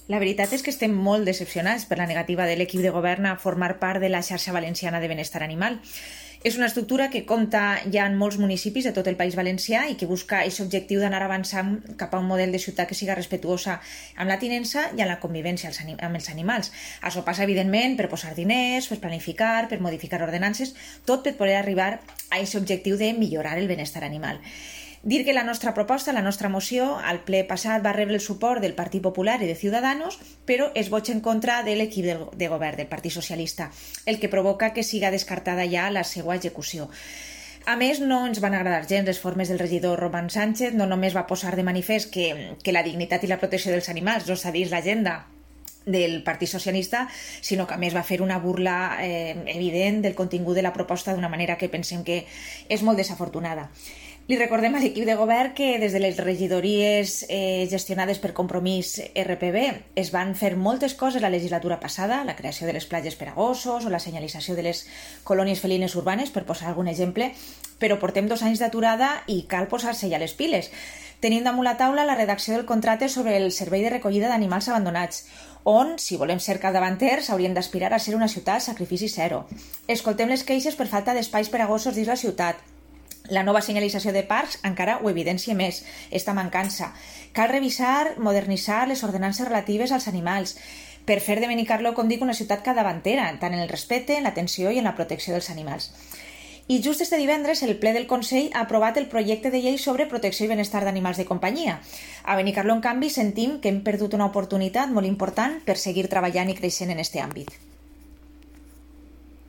La veritat és que estem molt decepcionats per la negativa de l'equip de govern a formar part de la xarxa valenciana de benestar animal. És una estructura que compta ja en molts municipis de tot el País Valencià i que busca aquest objectiu d'anar avançant cap a un model de ciutat que siga respectuosa amb la tinença i amb la convivència amb els animals. Això passa, evidentment, per posar diners, per planificar, per modificar ordenances, tot per poder arribar a aquest objectiu de millorar el benestar animal. Dir que la nostra proposta, la nostra moció, al ple passat va rebre el suport del Partit Popular i de Ciudadanos, però es vot en contra de l'equip de govern, del Partit Socialista, el que provoca que siga descartada ja la seva execució. A més, no ens van agradar gens les formes del regidor Roman Sánchez, no només va posar de manifest que la dignitat i la protecció dels animals no està dins l'agenda del Partit Socialista, sinó que a més va fer una burla evident del contingut de la proposta d'una manera que pensem que és molt desafortunada. Li recordem a l'equip de govern que des de les regidories gestionades per Compromís RPB es van fer moltes coses la legislatura passada, la creació de les platges per a gossos o la senyalització de les colònies felines urbanes, per posar algun exemple, però portem 2 anys d'aturada i cal posar-se ja les piles. Tenim damunt la taula la redacció del contracte sobre el servei de recollida d'animals abandonats, on, si volem ser capdavanters, hauríem d'aspirar a ser una ciutat sacrifici zero. Escoltem les queixes per falta d'espais per a gossos dins la ciutat. La nova senyalització de parcs encara ho evidencia més, esta mancança. Cal revisar, modernitzar les ordenances relatives als animals per fer de Benicarló, com dic, una ciutat capdavantera, tant en el respecte, en l'atenció i en la protecció dels animals. I just este divendres el ple del Consell ha aprovat el projecte de llei sobre protecció i benestar d'animals de companyia. A Benicarló, en canvi, sentim que hem perdut una oportunitat molt important per seguir treballant i creixent en aquest àmbit.